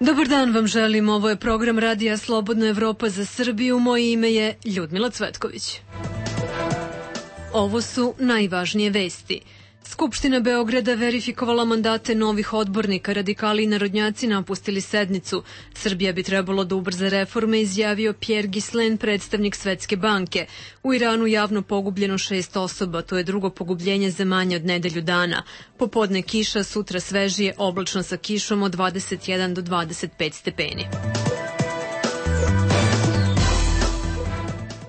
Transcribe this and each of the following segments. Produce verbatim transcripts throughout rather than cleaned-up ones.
Dobar dan vam želim, ovo je program Radija Slobodna Evropa za Srbiju, moje ime je Ljudmila Cvetković. Ovo su najvažnije vesti. Skupština Beograda verifikovala mandate novih odbornika, radikali i narodnjaci napustili sednicu. Srbija bi trebalo da ubrza reforme, izjavio Pierre Ghislain, predstavnik Svetske banke. U Iranu javno pogubljeno šest osoba, to je drugo pogubljenje za manje od nedelju dana. Popodne kiša, sutra svežije, oblačno sa kišom od dvadeset jedan do dvadeset pet stepeni.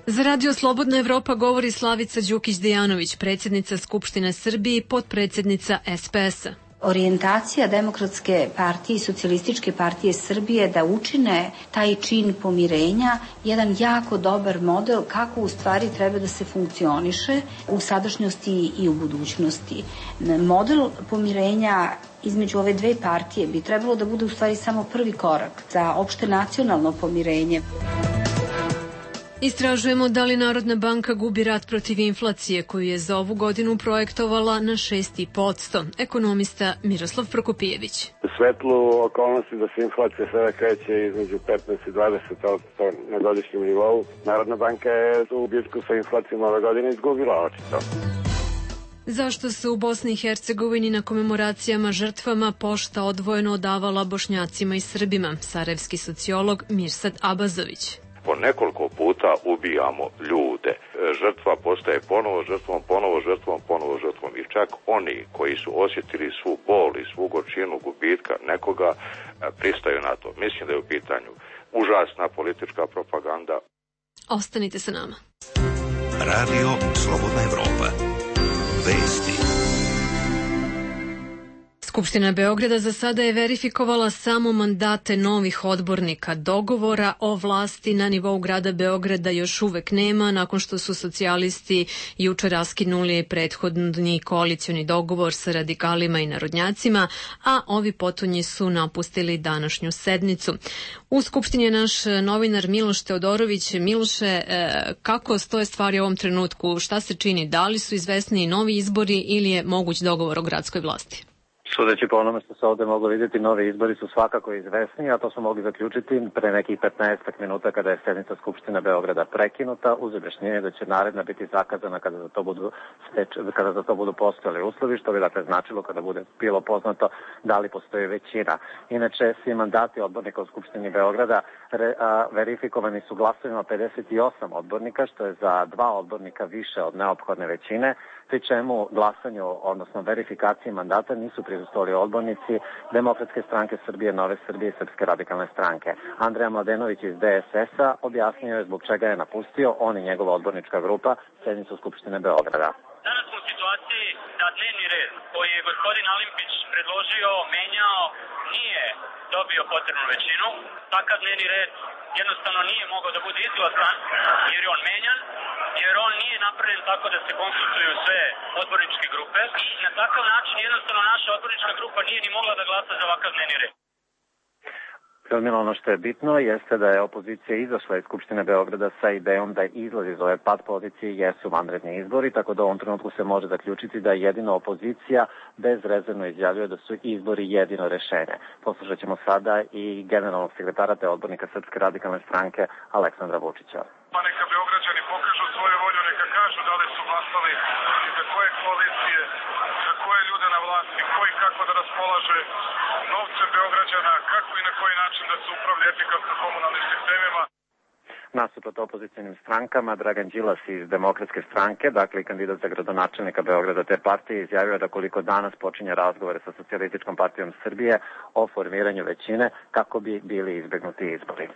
Za Radio Slobodna Evropa govori Slavica Đukić-Dejanović, predsjednica Skupštine Srbije i potpredsjednica S P S-a. Orijentacija Demokratske partije i Socijalističke partije Srbije da učine taj čin pomirenja jedan jako dobar model kako u stvari treba da se funkcioniše u sadašnjosti i u budućnosti. Model pomirenja između ove dve partije bi trebalo da bude u stvari samo prvi korak za opšte nacionalno pomirenje. Istražujemo da li Narodna banka gubi rat protiv inflacije koju je za ovu godinu projektovala na šest zarez pet posto. Ekonomista Miroslav Prokopijević. U svetlu okolnosti da se inflacija sada kreće između petnaest i dvadeset posto na godišnjem nivou, Narodna banka je u bitku sa inflacijom ove godine izgubila očito. Zašto se u Bosni i Hercegovini na komemoracijama žrtvama pošta odvojeno odavala Bošnjacima i Srbima? Sarajevski sociolog Mirsad Abazović. Po nekoliko puta ubijamo ljude. Žrtva postaje ponovo žrtvom, ponovo žrtvom, ponovo žrtvom. I čak oni koji su osjetili svu bol i svu gorčinu gubitka nekoga pristaju na to. Mislim da je u pitanju užasna politička propaganda. Ostanite sa nama. Radio Slobodna Evropa. Vesti. Skupština Beograda za sada je verifikovala samo mandate novih odbornika. Dogovora o vlasti na nivou grada Beograda još uvek nema, nakon što su socijalisti juče raskinuli prethodni koalicioni dogovor sa radikalima i narodnjacima, a ovi potonji su napustili današnju sednicu. U Skupštini je naš novinar Miloš Teodorović. Miloše, kako stoje stvari u ovom trenutku? Šta se čini? Da li su izvesni novi izbori ili je moguć dogovor o gradskoj vlasti? Sudeći po onome što se ovde moglo vidjeti, novi izbori su svakako izvesni, a to smo mogli zaključiti pre nekih petnaest minuta kada je sednica Skupštine Beograda prekinuta, uz objašnjenje da će naredna biti zakazana kada za to budu, steč, kada za to budu postojali uslovi, što bi dakle značilo kada bude bilo poznato da li postoji većina. Inače, svi mandati odbornika u Skupštini Beograda re, a, verifikovani su glasovima pedeset osam odbornika, što je za dva odbornika više od neophodne većine, pri čemu glasanju, odnosno verifikaciji mandata nisu prisustvovali odbornici Demokratske stranke Srbije, Nove Srbije i Srpske radikalne stranke. Andreja Mladenović iz D S S-a objasnio je zbog čega je napustio on i njegova odbornička grupa sednicu Skupštine Beograda. Danas smo u situaciji da dnevni red koji je gospodin Alimpić predložio, menjao, nije dobio potrebnu većinu. Takav dnevni red jednostavno nije mogao da bude izglasan jer je on menjan, jer on nije napravljen tako da se konsultuju sve odborničke grupe i na takav način jednostavno naša odbornička grupa nije ni mogla da glasa za ovakav dnevni red. Ljudmila, ono što je bitno jeste da je opozicija izašla iz Skupštine Beograda sa idejom da izlazi iz ove pad pozicije jesu vanredni izbori, tako da u ovom trenutku se može zaključiti da jedino opozicija bezrezervno izjavljuje da su izbori jedino rešenje. Poslušat ćemo sada i generalnog sekretara te odbornika Srpske radikalne stranke Aleksandra Vučića. Pa neka Beograđani pokažu svoju volju, neka kažu da li su glasali i za koje koalicije, za koje ljude na vlasti, koji kako da raspolaže novce Beograđana, kako i na koji način da se upravlja efikasno komunalnim sistemima. Nasuprot opozicijnim strankama, Dragan Đilas iz Demokratske stranke, dakle i kandidat za gradonačelnika Beograda te partije, izjavio da koliko danas počinje razgovore sa Socijalističkom partijom Srbije o formiranju većine kako bi bili izbegnuti izbori.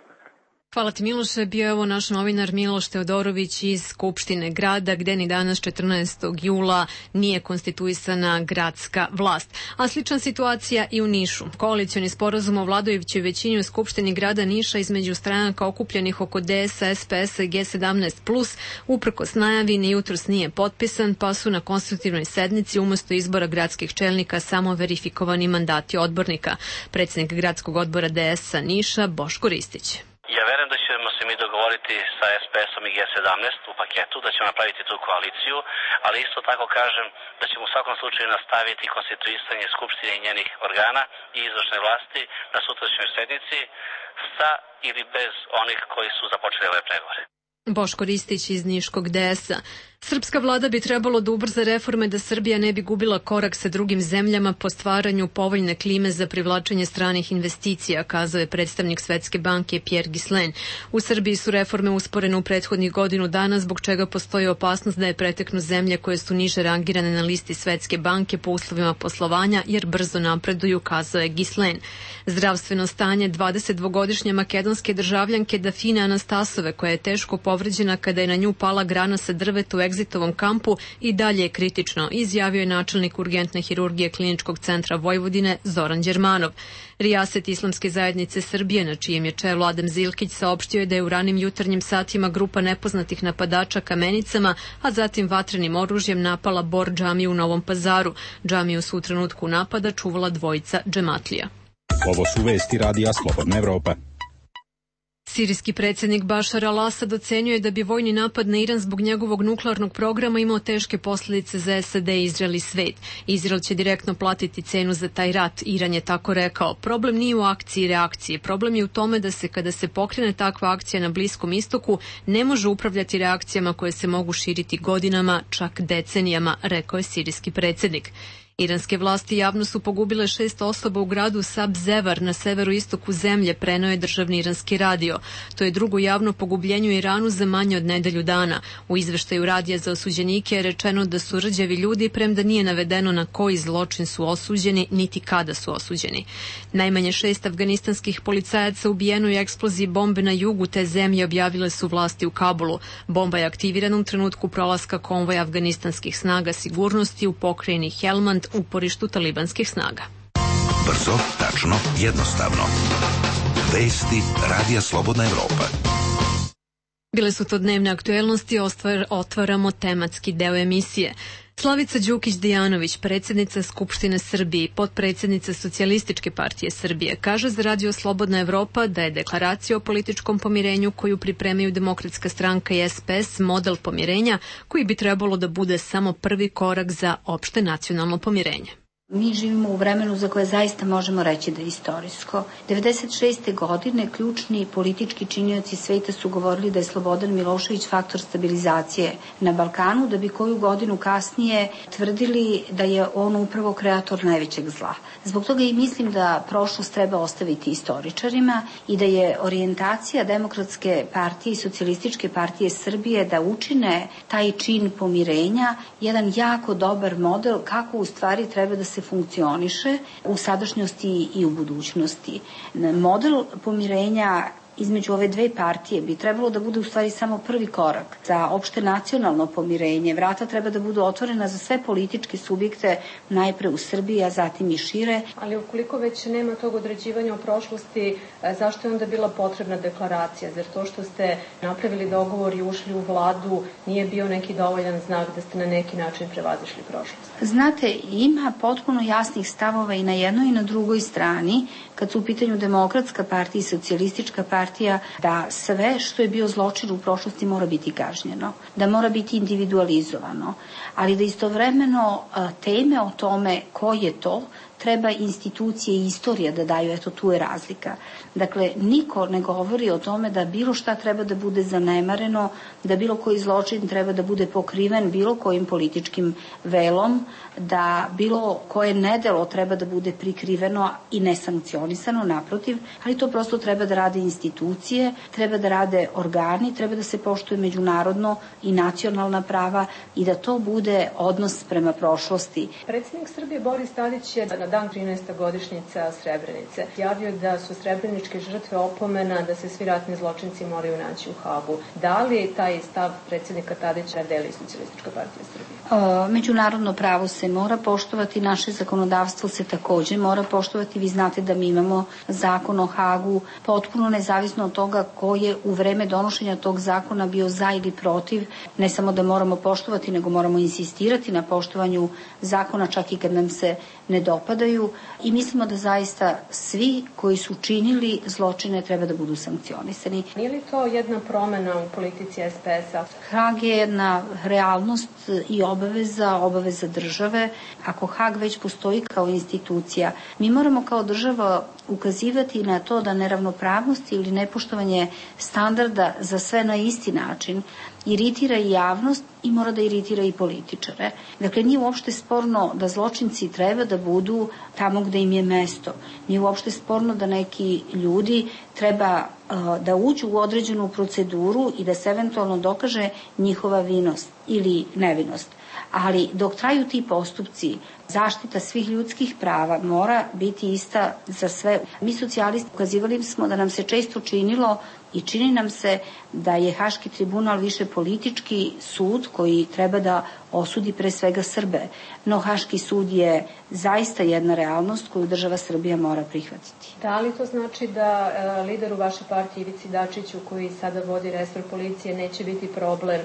Hvala ti, Miloše. Bio je ovo naš novinar Miloš Teodorović iz Skupštine grada, gde ni danas četrnaestog jula nije konstituisana gradska vlast. A slična situacija i u Nišu. Koalicioni sporazum o vladajućoj većini u Skupštini grada Niša između stranaka okupljenih oko D S A, S P S-a i G sedamnaest plus, uprkos najavi, ni jutros nije potpisan, pa su na konstitutivnoj sednici umesto izbora gradskih čelnika samo verifikovani mandati odbornika. Predsjednik gradskog odbora D S A Niša Boško Ristić. Ja verujem da ćemo se se mi dogovoriti sa es pe esom i ge sedamnaest u paketu, da ćemo napraviti tu koaliciju, ali isto tako kažem da ćemo u svakom slučaju nastaviti konstituisanje Skupštine i njenih organa i izvršne vlasti na sutrašnjoj sednici sa ili bez onih koji su započeli ove pregovore. Boško Ristić iz Niškog de esa. Srpska vlada bi trebalo da ubrza reforme da Srbija ne bi gubila korak sa drugim zemljama po stvaranju povoljne klime za privlačenje stranih investicija, kazao je predstavnik Svetske banke Pierre Ghislain. U Srbiji su reforme usporene u prethodnih godinu dana, zbog čega postoji opasnost da je preteknu zemlje koje su niže rangirane na listi Svetske banke po uslovima poslovanja, jer brzo napreduju, kazao je Ghislain. Zdravstveno stanje dvadesetdvogodišnje makedonske državljanke Dafine Anastasove, koja je teško povređena kada je na nju pala grana sa drveta u egzitovom kampu, i dalje je kritično, izjavio je načelnik urgentne hirurgije Kliničkog centra Vojvodine Zoran Đermanov. Rijaset Islamske zajednice Srbije, na čijem je čelu Adem Zilkić, saopštio je da je u ranim jutarnjim satima grupa nepoznatih napadača kamenicama, a zatim vatrenim oružjem napala Bor džamiju u Novom Pazaru. Džamiju su u trenutku napada čuvala dvojica džematlija. Ovo su vesti Radija Slobodna Evropa. Sirijski predsjednik Bašar al-Asad ocenjuje da bi vojni napad na Iran zbog njegovog nuklearnog programa imao teške posljedice za es a de, Izrael i svet. Izrael će direktno platiti cenu za taj rat, Iran je tako rekao. Problem nije u akciji i reakciji. Problem je u tome da se kada se pokrene takva akcija na Bliskom istoku ne može upravljati reakcijama koje se mogu širiti godinama, čak decenijama, rekao je sirijski predsjednik. Iranske vlasti javno su pogubile šest osoba u gradu Sabzevar na severu istoku zemlje, preneo je državni iranski radio. To je drugo javno pogubljenje u Iranu za manje od nedelju dana. U izveštaju radija za osuđenike je rečeno da su rđavi ljudi, premda nije navedeno na koji zločin su osuđeni, niti kada su osuđeni. Najmanje šest afganistanskih policajaca ubijeno je u eksploziji bombe na jugu te zemlje, objavile su vlasti u Kabulu. Bomba je aktivirana u trenutku prolaska konvoja afganistanskih snaga sigurnosti u pokrajini Helmand, uporištu talibanskih snaga. Brzo, tačno, jednostavno. Vesti Radija Slobodna Evropa. Bile su to dnevne aktuelnosti, ostvar, otvaramo tematski deo emisije. Slavica Đukić-Dejanović, predsjednica Skupštine Srbije i potpredsjednica Socijalističke partije Srbije, kaže za Radio Slobodna Evropa da je deklaracija o političkom pomirenju koju pripremaju Demokratska stranka i es pe es model pomirenja koji bi trebalo da bude samo prvi korak za opšte nacionalno pomirenje. Mi živimo u vremenu za koje zaista možemo reći da je istorijsko. devedeset šeste godine ključni politički činioci sveta su govorili da je Slobodan Milošević faktor stabilizacije na Balkanu, da bi koju godinu kasnije tvrdili da je on upravo kreator najvećeg zla. Zbog toga i mislim da prošlost treba ostaviti istoričarima i da je orijentacija Demokratske partije i Socijalističke partije Srbije da učine taj čin pomirenja jedan jako dobar model kako u stvari treba da se funkcioniše u sadašnjosti i u budućnosti. Model pomirenja između ove dve partije bi trebalo da bude u stvari samo prvi korak za opšte nacionalno pomirenje. Vrata treba da budu otvorena za sve političke subjekte, najpre u Srbiji, a zatim i šire. Ali ukoliko već nema tog određivanja o prošlosti, zašto je onda bila potrebna deklaracija? Zar to što ste napravili dogovor i ušli u vladu nije bio neki dovoljan znak da ste na neki način prevazišli prošlost? Znate, ima potpuno jasnih stavova i na jednoj i na drugoj strani, kad su u pitanju Demokratska partija i Socijalistička partija, da sve što je bio zločin u prošlosti mora biti kažnjeno, da mora biti individualizovano, ali da istovremeno teme o tome ko je to, treba institucije i istorija da daju, eto tu je razlika. Dakle, niko ne govori o tome da bilo šta treba da bude zanemareno, da bilo koji zločin treba da bude pokriven bilo kojim političkim velom, da bilo koje nedelo treba da bude prikriveno i nesankcionisano, naprotiv, ali to prosto treba da rade institucije, treba da rade organi, treba da se poštuje međunarodno i nacionalna prava i da to bude odnos prema prošlosti. Predsjednik Srbije Boris Tadić je na dan trinaeste godišnjica Srebrenice javio da su srebreničke žrtve opomena da se svi ratni zločinci moraju naći u Hagu. Da li taj stav predsjednika Tadića deli Socijalistička partija Srbije? O, međunarodno pravo se mora poštovati, naše zakonodavstvo se takođe mora poštovati. Vi znate da mi imamo zakon o Hagu, potpuno nezavisno od toga ko je u vreme donošenja tog zakona bio za ili protiv. Ne samo da moramo poštovati, nego moramo insistirati na poštovanju zakona čak i kad nam se ne dopada. pripadaju i mislimo da zaista svi koji su činili zločine treba da budu sankcionisani. Nije li to jedna promena u politici S P S-a? Hag je jedna realnost i obaveza, obaveza države. Ako Hag već postoji kao institucija, mi moramo kao država ukazivati na to da neravnopravnost ili nepoštovanje standarda za sve na isti način iritira i javnost i mora da iritira i političare. Dakle, nije uopšte sporno da zločinci treba da budu tamo gde im je mesto. Nije uopšte sporno da neki ljudi treba uh, da uđu u određenu proceduru i da se eventualno dokaže njihova vinost ili nevinost. Ali dok traju ti postupci, zaštita svih ljudskih prava mora biti ista za sve. Mi socijalisti ukazivali smo da nam se često činilo i čini nam se da je Haški tribunal više politički sud koji treba da osudi pre svega Srbe. No Haški sud je zaista jedna realnost koju država Srbija mora prihvatiti. Da li to znači da e, lideru vaše partije Ivici Dačiću, koji sada vodi resor policije, neće biti problem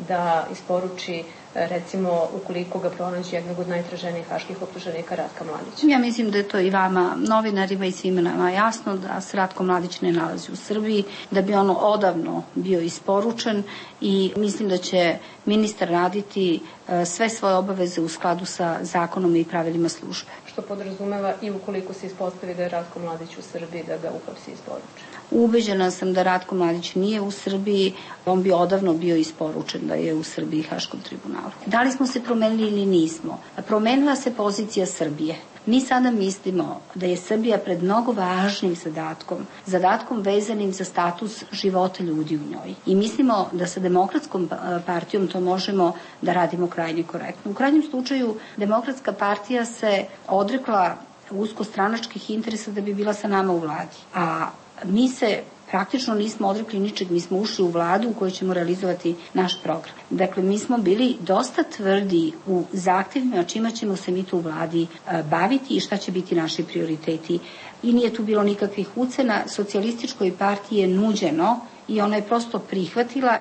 da isporuči, recimo, ukoliko ga pronađe jednog od najtraženijih haških optuženika Ratka Mladića? Ja mislim da je to i vama, novinarima i svima nama jasno da se Ratko Mladić ne nalazi u Srbiji, da bi ono odavno bio isporučen i mislim da će ministar raditi sve svoje obaveze u skladu sa zakonom i pravilima službe. Što podrazumeva i ukoliko se ispostavi da je Ratko Mladić u Srbiji, da ga uhapsi i isporuči? Ubeđena sam da Ratko Mladić nije u Srbiji, on bi odavno bio isporučen da je u Srbiji Haškom tribunalu. Da li smo se promenili ili nismo? Promenila se pozicija Srbije. Mi sada mislimo da je Srbija pred mnogo važnim zadatkom, zadatkom vezanim za status života ljudi u njoj. I mislimo da sa Demokratskom partijom to možemo da radimo krajnje korektno. U krajnjem slučaju, Demokratska partija se odrekla uskostranačkih interesa da bi bila sa nama u vladi. A mi se praktično nismo odrekli ničeg, mi smo ušli u vladu u kojoj ćemo realizovati naš program. Dakle, mi smo bili dosta tvrdi u zahtevima čima ćemo se mi tu u vladi baviti i šta će biti naši prioriteti. I nije tu bilo nikakvih ucena, socijalističkoj partiji je nuđeno i ona je prosto prihvatila.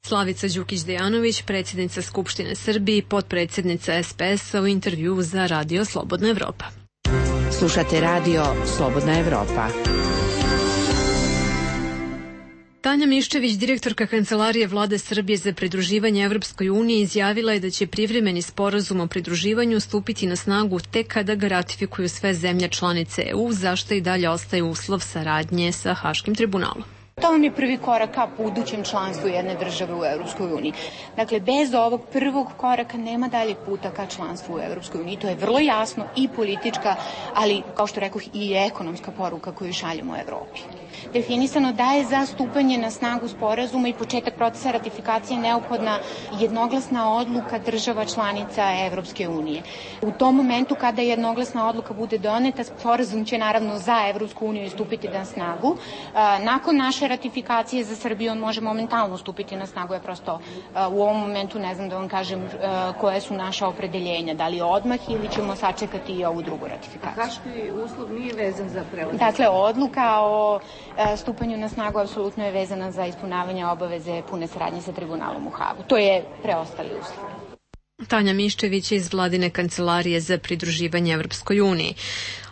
Slavica Đukić-Dejanović, predsjednica Skupštine Srbije i potpredsjednica S P S-a u intervju za Radio Slobodna Evropa. Slušate Radio Slobodna Evropa. Tanja Miščević, direktorka Kancelarije Vlade Srbije za pridruživanje Evropskoj uniji, izjavila je da će privremeni sporazum o pridruživanju stupiti na snagu tek kada ga ratifikuju sve zemlje članice E U, zašto i dalje ostaje uslov saradnje sa Haškim tribunalom. To vam je prvi korak ka budućem članstvu jedne države u Evropskoj uniji. Dakle, bez ovog prvog koraka nema daljeg puta ka članstvu u Evropskoj uniji. To je vrlo jasno i politička, ali, kao što rekoh, i ekonomska poruka koju šaljemo u Evropi. Definisano da je za stupanje na snagu sporazuma i početak procesa ratifikacije neophodna jednoglasna odluka država članica Evropske unije. U tom momentu kada jednoglasna odluka bude doneta, sporazum će naravno za Evropsku uniju stupiti na snagu. Nakon naše ratifikacije za Srbiju on može momentalno stupiti na snagu. Ja prosto u ovom momentu ne znam da vam kažem koje su naša opredeljenja, da li odmah ili ćemo sačekati i ovu drugu ratifikaciju. Haški uslov nije vezan za prelazak? Dakle, odluka o stupanju na snagu apsolutno je vezana za ispunjavanje obaveze pune saradnje sa tribunalom u Hagu. To je preostali uslov. Tanja Miščević iz Vladine kancelarije za pridruživanje Evropskoj uniji.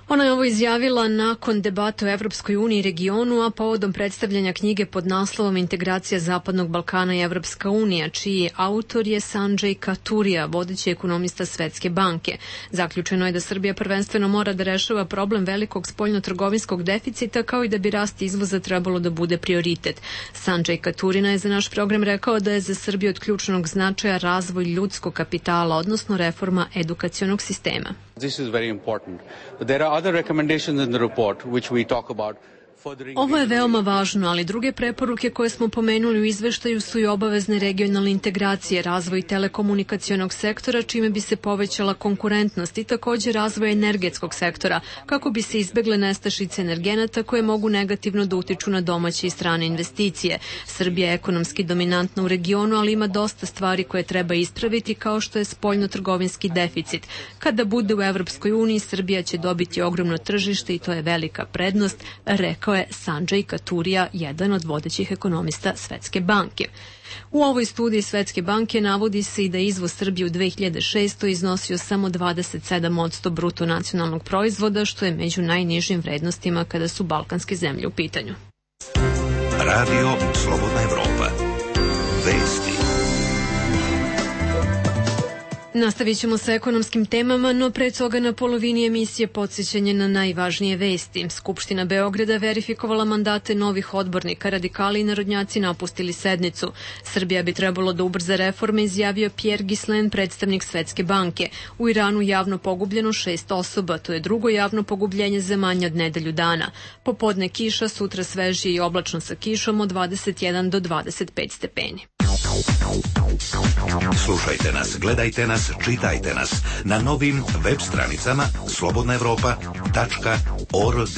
Ona je ovo izjavila nakon debata o Evropskoj uniji i regionu, a povodom predstavljanja knjige pod naslovom Integracija Zapadnog Balkana i Evropska unija, čiji autor je Sanđej Katurija, vodeći ekonomista Svetske banke. Zaključeno je da Srbija prvenstveno mora da rešava problem velikog spoljno-trgovinskog deficita, kao i da bi rast izvoza trebalo da bude prioritet. Sanđej Katurina je za naš program rekao da je za Srbiju od ključnog značaja razvoj ljudskog kapitala, odnosno reforma edukacionog sistema. This is very important. But there are other recommendations in the report which we talk about. Ovo je veoma važno, ali druge preporuke koje smo pomenuli u izveštaju su i obavezne regionalne integracije, razvoj telekomunikacionog sektora, čime bi se povećala konkurentnost, i također razvoj energetskog sektora, kako bi se izbegle nestašice energenata koje mogu negativno da utiču na domaće i strane investicije. Srbija je ekonomski dominantna u regionu, ali ima dosta stvari koje treba ispraviti, kao što je spoljno-trgovinski deficit. Kada bude u Evropskoj uniji, Srbija će dobiti ogromno tržište i to je velika prednost, rekao rekao je Sanjay Katurija, jedan od vodećih ekonomista Svetske banke. U ovoj studiji Svetske banke navodi se i da izvoz Srbije u dve hiljade šestoj. iznosio samo dvadeset sedam posto bruto nacionalnog proizvoda, što je među najnižim vrednostima kada su balkanske zemlje u pitanju. Radio Slobodna Evropa. Vesti. Nastavit ćemo sa ekonomskim temama, no pre toga na polovini emisije podsjećanje na najvažnije vesti. Skupština Beograda verifikovala mandate novih odbornika, radikali i narodnjaci napustili sednicu. Srbija bi trebalo da ubrza reforme, izjavio Pierre Ghislain, predstavnik Svetske banke. U Iranu javno pogubljeno šest osoba, to je drugo javno pogubljenje za manje od nedelju dana. Popodne kiša, sutra svežije i oblačno sa kišom od dvadeset jedan do dvadeset pet stepeni. Slušajte nas, gledajte nas, čitajte nas na novim web stranicama slobodna evropa tačka org.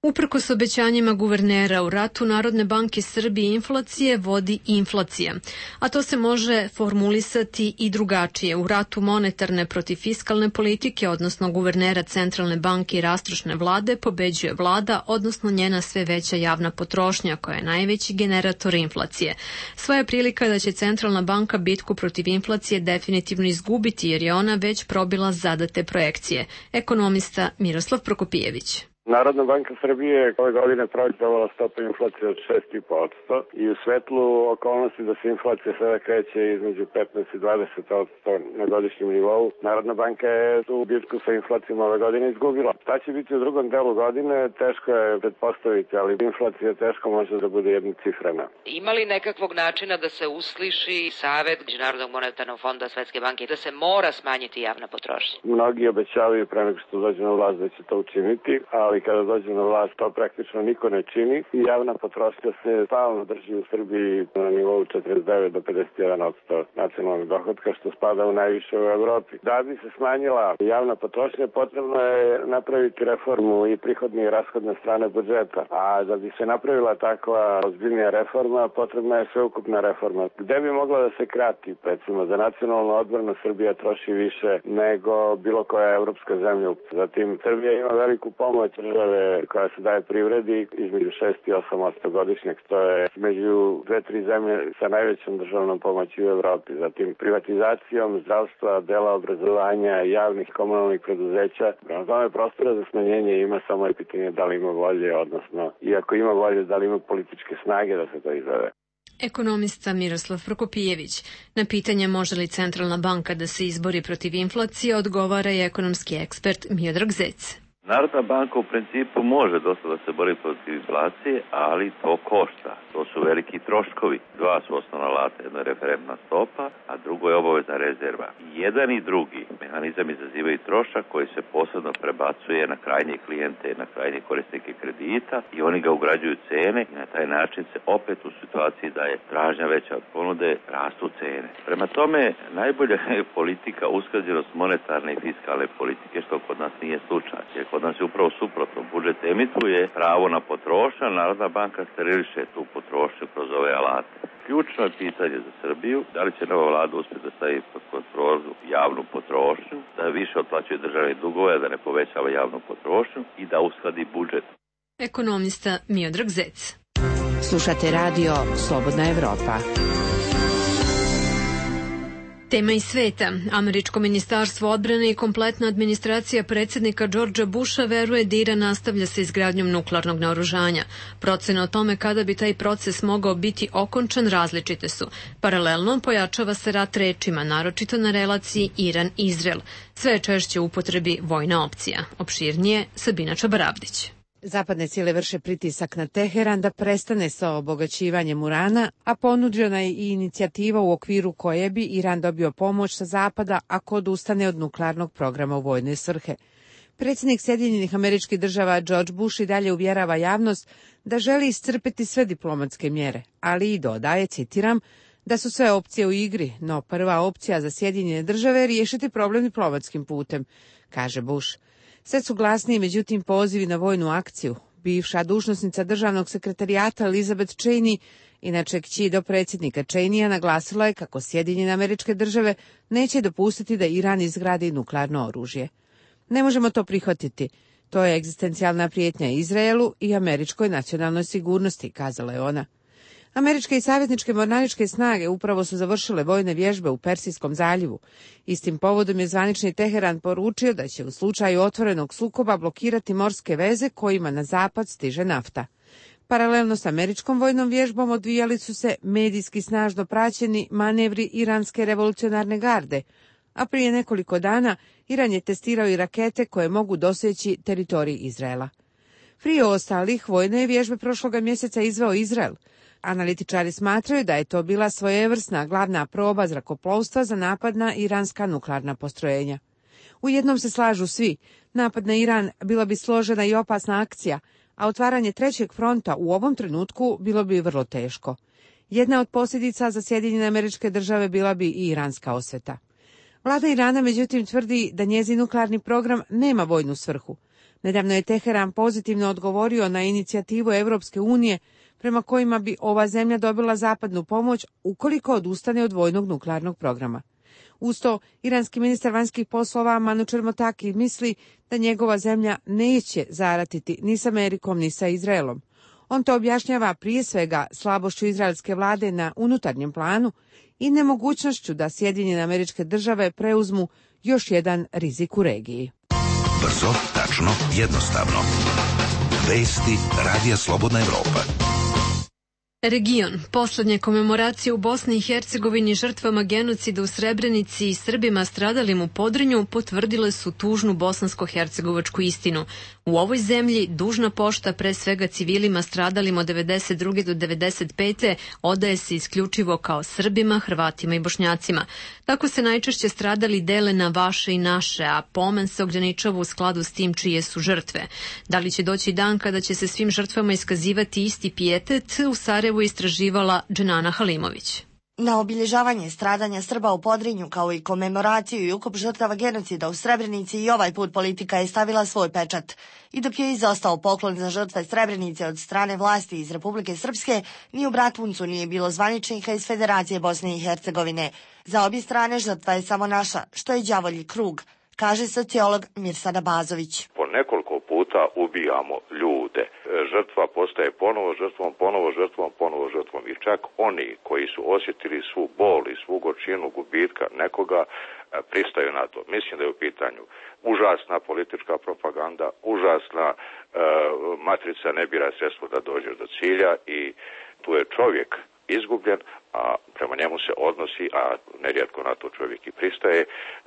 Uprkos obećanjima guvernera u ratu Narodne banke Srbije inflacije vodi inflacija, a to se može formulisati i drugačije. U ratu monetarne protiv fiskalne politike, odnosno guvernera Centralne banke i rastrošne vlade, pobeđuje vlada, odnosno njena sve veća javna potrošnja, koja je najveći generator inflacije. Svoja prilika da će Centralna banka bitku protiv inflacije definitivno izgubiti, jer je ona već probila zadate projekcije. Ekonomista Miroslav Prokopijević. Narodna banka Srbije ove godine projektovala stopu inflacije od šest i po posto i u svetlu okolnosti da se inflacija sada kreće između petnaest i dvadeset posto na godišnjem nivou, Narodna banka je tu bitku sa inflacijom ove godine izgubila. Šta će biti u drugom delu godine, teško je pretpostaviti, ali inflacija teško može da bude jednocifrena. Ima li nekakvog načina da se usliši savet Međunarodnog monetarnog fonda Svetske banke da se mora smanjiti javna potrošnja? Mnogi obećavaju pre nego što dođe na vlast da će to učiniti, ali kada dođe na vlast to praktično niko ne čini i javna potrošnja se stalno drži u Srbiji na nivou četrdeset devet do pedeset jedan posto nacionalnog dohotka, što spada u najviše u Evropi. Da bi se smanjila javna potrošnja, potrebno je napraviti reformu i prihodne i rashodne strane budžeta, a da bi se napravila takva ozbiljnija reforma, potrebna je sveukupna reforma. Gde bi mogla da se krati? Recimo, za nacionalnu odbranu Srbija troši više nego bilo koja evropska zemlja. Zatim, Srbija ima veliku pomoć države koja se daje privredi između šest i osam posto godišnjeg, to je među dve, tri zemlje sa najvećom državnom pomoći u Evropi. Zatim privatizacijom zdravstva, dela obrazovanja, javnih komunalnih preduzeća. Prema tome prostora za smanjenje ima, samo je pitanje da li ima volje, odnosno i ako ima volje, da li ima političke snage da se to izvede. Ekonomista Miroslav Prokopijević. Na pitanje može li Centralna banka da se izbori protiv inflacije odgovara i ekonomski ekspert Miodrag Zec. Narodna banka u principu može dosta da se bori protiv inflacije, ali to košta. To su veliki troškovi. Dva su osnovna alata, jedna je referentna stopa, a drugo je obavezna rezerva. Jedan i drugi mehanizam izazivaju trošak koji se posebno prebacuje na krajnje klijente, na krajnje korisnike kredita i oni ga ugrađuju cene i na taj način se opet u situaciji da je tražnja veća od ponude, rastu cene. Prema tome, najbolja je politika usklađenost monetarne i fiskalne politike, što kod nas nije slučaj. Jer kod nas je upravo suprotno. Budžet emituje pravo na potrošnju, Narodna banka steriliše tu potrošnju kroz ove alate. Ključno je pitanje za Srbiju, da li će nova vlada uspjeti da stavi pod kontrolu javnu potrošnju, da više otplaćuje državne dugove, da ne povećava javnu potrošnju i da uskladi budžet. Ekonomista Miodrag Zec. Slušate radio Slobodna Evropa. Tema iz sveta. Američko ministarstvo odbrane i kompletna administracija predsjednika Georgea Busha veruje da Iran nastavlja sa izgradnjom nuklearnog naoružanja. Procene o tome kada bi taj proces mogao biti okončan različite su. Paralelno pojačava se rat rečima, naročito na relaciji Iran-Izrael. Sve je češće u upotrebi vojna opcija. Opširnije Sabina Čabaravdić. Zapadne sile vrše pritisak na Teheran da prestane sa obogaćivanjem urana, a ponuđena je i inicijativa u okviru koje bi Iran dobio pomoć sa zapada ako odustane od nuklearnog programa u vojne svrhe. Predsjednik Sjedinjenih Američkih Država George Bush i dalje uvjerava javnost da želi iscrpeti sve diplomatske mjere, ali i dodaje, citiram, da su sve opcije u igri, no prva opcija za Sjedinjene Države je riješiti problem diplomatskim putem, kaže Bush. Sve su glasniji, međutim, pozivi na vojnu akciju. Bivša dužnosnica državnog sekretarijata Elizabeth Cheney, inače kći do predsjednika Cheneya, naglasila je kako Sjedinjene Američke Države neće dopustiti da Iran izgradi nuklearno oružje. Ne možemo to prihvatiti. To je egzistencijalna prijetnja Izraelu i američkoj nacionalnoj sigurnosti, kazala je ona. Američke i savjetničke mornaričke snage upravo su završile vojne vježbe u Persijskom zaljevu. Istim povodom je zvanični Teheran poručio da će u slučaju otvorenog sukoba blokirati morske veze kojima na zapad stiže nafta. Paralelno s američkom vojnom vježbom odvijali su se medijski snažno praćeni manevri iranske revolucionarne garde, a prije nekoliko dana Iran je testirao i rakete koje mogu doseći teritorij Izraela. Prije ostalih vojne vježbe prošloga mjeseca izveo Izrael. Analitičari smatraju da je to bila svojevrsna glavna proba zrakoplovstva za napad na iranska nuklearna postrojenja. U jednom se slažu svi, napad na Iran bila bi složena i opasna akcija, a otvaranje trećeg fronta u ovom trenutku bilo bi vrlo teško. Jedna od posljedica za Sjedinjene Američke Države bila bi i iranska osveta. Vlada Irana međutim tvrdi da njezin nuklearni program nema vojnu svrhu. Nedavno je Teheran pozitivno odgovorio na inicijativu Europske unije prema kojima bi ova zemlja dobila zapadnu pomoć ukoliko odustane od vojnog nuklearnog programa. Uz to, iranski ministar vanjskih poslova Manučer Motaki misli da njegova zemlja neće zaratiti ni s Amerikom ni sa Izraelom. On to objašnjava prije svega slabošću izraelske vlade na unutarnjem planu i nemogućnošću da Sjedinjene Američke Države preuzmu još jedan rizik u regiji. Brzo, tačno, jednostavno. Vesti Radija Slobodna Evropa. Region. Poslednje komemoracije u Bosni i Hercegovini žrtvama genocida u Srebrenici i Srbima stradalim u Podrinju potvrdile su tužnu bosansko-hercegovačku istinu. U ovoj zemlji dužna pošta pre svega civilima stradalim od devedeset druge do devedeset pete odaje se isključivo kao Srbima, Hrvatima i Bošnjacima. Tako se najčešće stradali dele na vaše i naše, a pomen se ograničava u skladu s tim čije su žrtve. Da li će doći dan kada će se svim žrtvama iskazivati isti pijetet, u Sarajevu istraživala Dženana Halimović. Na obilježavanje stradanja Srba u Podrinju, kao i komemoraciju i ukop žrtava genocida u Srebrenici, i ovaj put politika je stavila svoj pečat. I dok je izostao poklon za žrtve Srebrenice od strane vlasti iz Republike Srpske, ni u Bratuncu nije bilo zvaničnika iz Federacije Bosne i Hercegovine. Za obje strane žrtva je samo naša, što je đavolji krug, kaže sociolog Mirsad Abazović. Po nekoliko puta ubijamo ljude. Žrtva postaje ponovo žrtvom, ponovo žrtvom, ponovo žrtvom. I čak oni koji su osjetili svu bol i svu gorčinu gubitka nekoga pristaju na to. Mislim da je u pitanju užasna politička propaganda, užasna e, matrica ne bira sredstvo da dođeš do cilja i tu je čovjek izgubljen, a prema njemu se odnosi, a nerijetko na to čovjek i pristaje,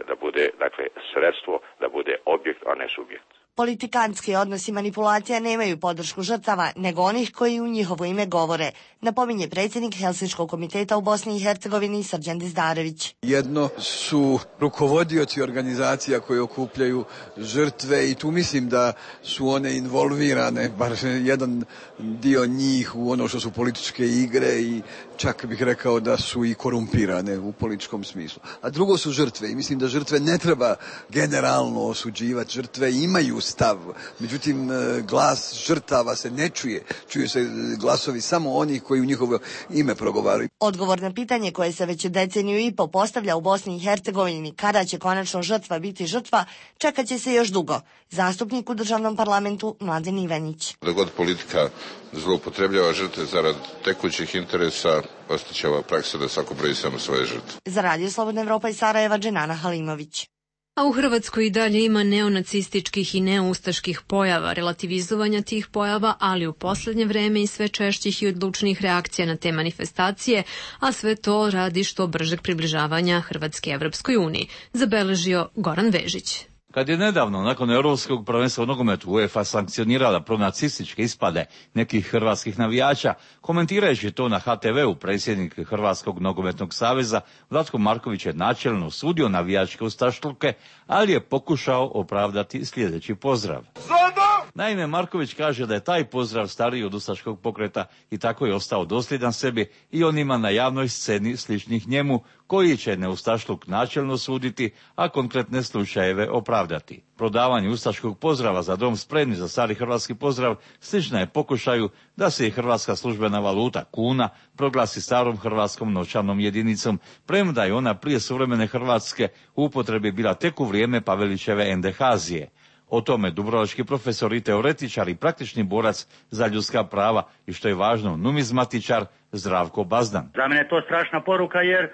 da bude, dakle, sredstvo, da bude objekt, a ne subjekt. Politikanski odnosi manipulacija nemaju podršku žrtava, nego onih koji u njihovo ime govore, napominje predsjednik Helsinškog komiteta u Bosni i Hercegovini Srđan Dizdarević. Jedno su rukovodioci organizacija koje okupljaju žrtve i tu mislim da su one involvirane, bar jedan dio njih, u ono što su političke igre i čak bih rekao da su i korumpirane u političkom smislu. A drugo su žrtve i mislim da žrtve ne treba generalno osuđivati. Žrtve imaju stav, međutim glas žrtava se ne čuje. Čuju se glasovi samo onih koji u njihovo ime progovaraju. Odgovor na pitanje koje se već deceniju i po postavlja u Bosni i Hercegovini, kada će konačno žrtva biti žrtva, čekat će se još dugo. Zastupnik u državnom parlamentu Mladen Ivanić. Da god politika zloupotrebljava žrtve zarad tekućih interesa, ostaće ova praksa da svako broji samo svoje žrtve. Za Radio Slobodna Evropa iz Sarajeva, Dženana Halimović. A u Hrvatskoj i dalje ima neonacističkih i neoustaških pojava, relativizovanja tih pojava, ali u posljednje vreme i sve češćih i odlučnih reakcija na te manifestacije, a sve to radi što bržeg približavanja Hrvatske Evropskoj uniji, zabeležio Goran Vežić. Kad je nedavno, nakon Europskog prvenstva u nogometu, UEFA sankcionirala pronacističke ispade nekih hrvatskih navijača, komentirajući to na ha te veu, predsjednik Hrvatskog nogometnog saveza Vlatko Marković je načelno osudio navijačke ustašluke, ali je pokušao opravdati sljedeći pozdrav. Naime, Marković kaže da je taj pozdrav stariji od ustaškog pokreta i tako je ostao dosljedan sebi i onima na javnoj sceni sličnih njemu, koji će neustašluk načelno suditi, a konkretne slučajeve opravdati. Prodavanje ustaškog pozdrava za dom spremni za stari hrvatski pozdrav slična je pokušaju da se i hrvatska službena valuta kuna proglasi starom hrvatskom novčanom jedinicom, premda je ona prije suvremene Hrvatske u upotrebi bila tek u vrijeme Pavelićeve Endehazije. O tome dubrovački profesor i teoretičar i praktični borac za ljudska prava i, što je važno, numizmatičar Zdravko Bazdan. Za mene je to strašna poruka jer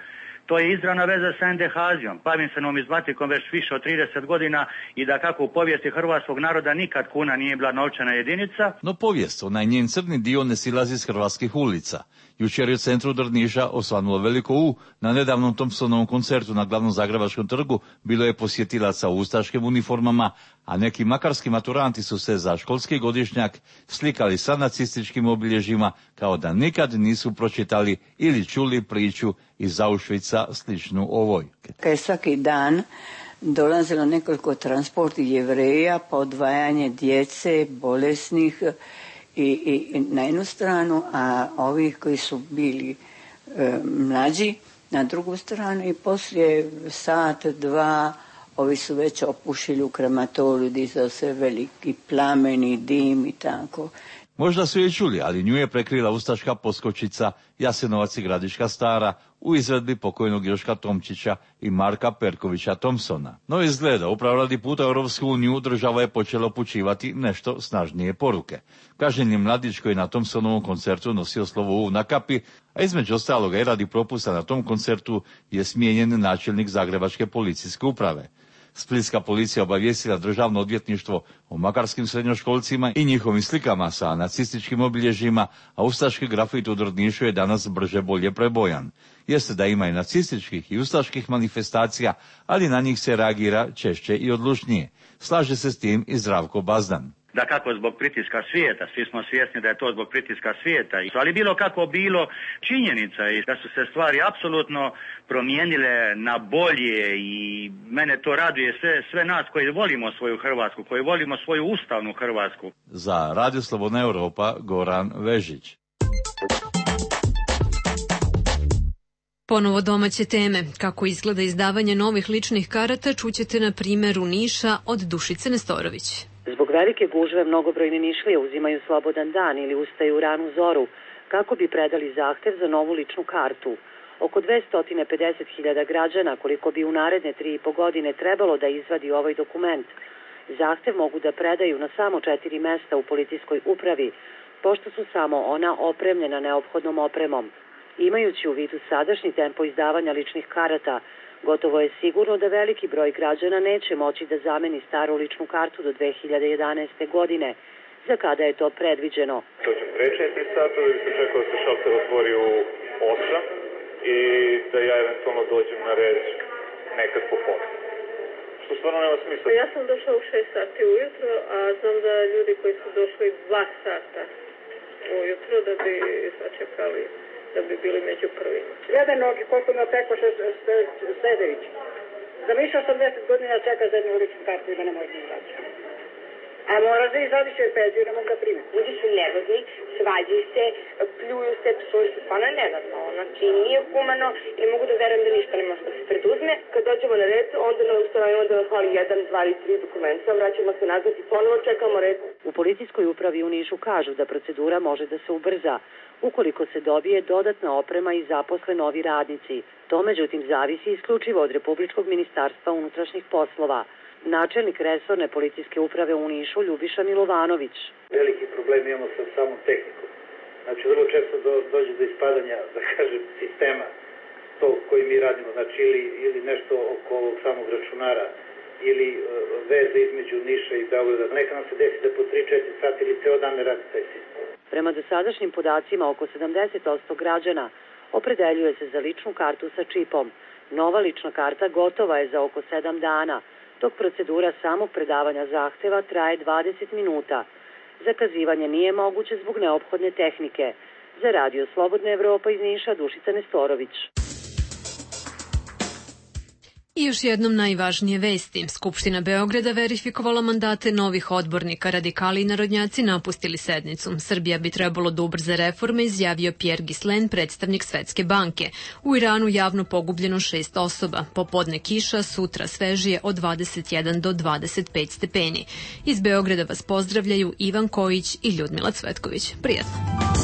to je izravna veza sa endehazijom. Bavim se numizmatikom već više od trideset godina i da kako u povijesti hrvatskog naroda nikad kuna nije bila novčana jedinica. No povijest, onaj njen crni dio, ne silazi s hrvatskih ulica. Jučer je u centru Drniša osvanulo veliko U. Na nedavnom Thompsonovom koncertu na glavnom zagrebačkom trgu bilo je posjetilaca u ustaškim uniformama, a neki makarski maturanti su se za školski godišnjak slikali sa nacističkim obilježjima kao da nikad nisu pročitali ili čuli priču iz Auschwitza sličnu ovoj. Kad je svaki dan dolazilo nekoliko transporti Jevreja, pa odvajanje djece, bolesnih i, i na jednu stranu, a ovih koji su bili e, mlađi na drugu stranu, i poslije sat, dva, ovi su već opušili u krematoriju, dizao se veliki plameni dim i tako. Možda su je čuli, ali nju je prekrila ustaška poskočica Jasenovac i Gradiška Stara u izvedbi pokojnog Joška Tomčića i Marka Perkovića Thompsona. No izgleda, upravo radi puta u Europsku uniju država je počela upućivati nešto snažnije poruke. Kažnjeni mladić koji je na Thompsonovom koncertu nosio slovo U na kapi, a između ostaloga i radi propusta na tom koncertu je smijenjen načelnik Zagrebačke policijske uprave. Splitska policija obavijestila državno odvjetništvo o makarskim srednjoškolcima i njihovim slikama sa nacističkim obilježjima, a ustaški grafit u Drnišu je danas brže bolje prebojan. Jeste da ima i nacističkih i ustaških manifestacija, ali na njih se reagira češće i odlučnije. Slaže se s tim i Zdravko Bazdan. Da kako zbog pritiska svijeta, svi smo svjesni da je to zbog pritiska svijeta, ali bilo kako bilo, činjenica je da su se stvari apsolutno promijenile na bolje i mene to raduje sve, sve nas koji volimo svoju Hrvatsku, koji volimo svoju ustavnu Hrvatsku. Za Radio Slobodna Europa, Goran Vežić. Ponovo domaće teme. Kako izgleda izdavanje novih ličnih karata, čućete na primjeru Niša od Dušice Nestorović. Zbog velike gužve mnogobrojni Nišlije uzimaju slobodan dan ili ustaju u ranu zoru kako bi predali zahtev za novu ličnu kartu. Oko dvesta pedeset hiljada građana, koliko bi u naredne tri i po godine trebalo da izvadi ovaj dokument, zahtev mogu da predaju na samo četiri mesta u policijskoj upravi, pošto su samo ona opremljena neophodnom opremom. Imajući u vidu sadašnji tempo izdavanja ličnih karata, gotovo je sigurno da veliki broj građana neće moći da zameni staru ličnu kartu do dve hiljade jedanaeste. godine, za kada je to predviđeno. To će pre četiri sata, da bi se čekao da se šalter otvori u osam i da ja eventualno dođem na red nekad po pola. Što stvarno nema smisla. Ja sam došla u šest sati ujutro, a znam da ljudi koji su došli dva sata ujutro da bi sačekali, da bi bili među prvima. Jedan nogi, koliko me opeko Sedević. Zamišljao sam deset godina čeka za jednu ličnu kartu i da ne može izrađati. A moraš da izradiš joj penziju, ne mogu da primi. Ljudi su nervozni, svađaju se, pljuju se, psuju se, pa ono je nenormalno. Znači nije humano i mogu da verujem da ništa ne može da se preduzme. Kad dođemo na red, onda nam ustanovimo da nas hvali jedan, dva ili tri dokumenta, vraćamo se nazad i ponovo čekamo red. U policijskoj upravi u Nišu kažu da procedura može da se ubrza ukoliko se dobije dodatna oprema i zaposle novi radnici. To međutim zavisi isključivo od Republičkog ministarstva unutrašnjih poslova. Načelnik resorne policijske uprave u Nišu Ljubiša Milovanović. Veliki problem imamo sa samom tehnikom. Znači vrlo često do, dođe do ispadanja, da kažem, sistema to koji mi radimo, znači ili, ili nešto oko ovog samog računara ili uh, veze između Niša i Beograda. Neka nam se desi da po tri četiri sati ili ceo dan ne radi taj sistem. Prema dosadašnjim podacima oko sedamdeset posto građana opredeljuje se za ličnu kartu sa čipom. Nova lična karta gotova je za oko sedam dana, dok procedura samog predavanja zahteva traje dvadeset minuta. Zakazivanje nije moguće zbog neophodne tehnike. Za Radio Slobodna Evropa iz Niša, Dušica Nestorović. I još jednom najvažnije vesti. Skupština Beograda verifikovala mandate novih odbornika. Radikali i narodnjaci napustili sednicu. Srbija bi trebalo da ubrza reforme, izjavio Pierre Ghislaine, predstavnik Svetske banke. U Iranu javno pogubljeno šest osoba. Popodne kiša, sutra svežije od dvadeset jedan do dvadeset pet stepeni. Iz Beograda vas pozdravljaju Ivan Kojić i Ljudmila Cvetković. Prijatno.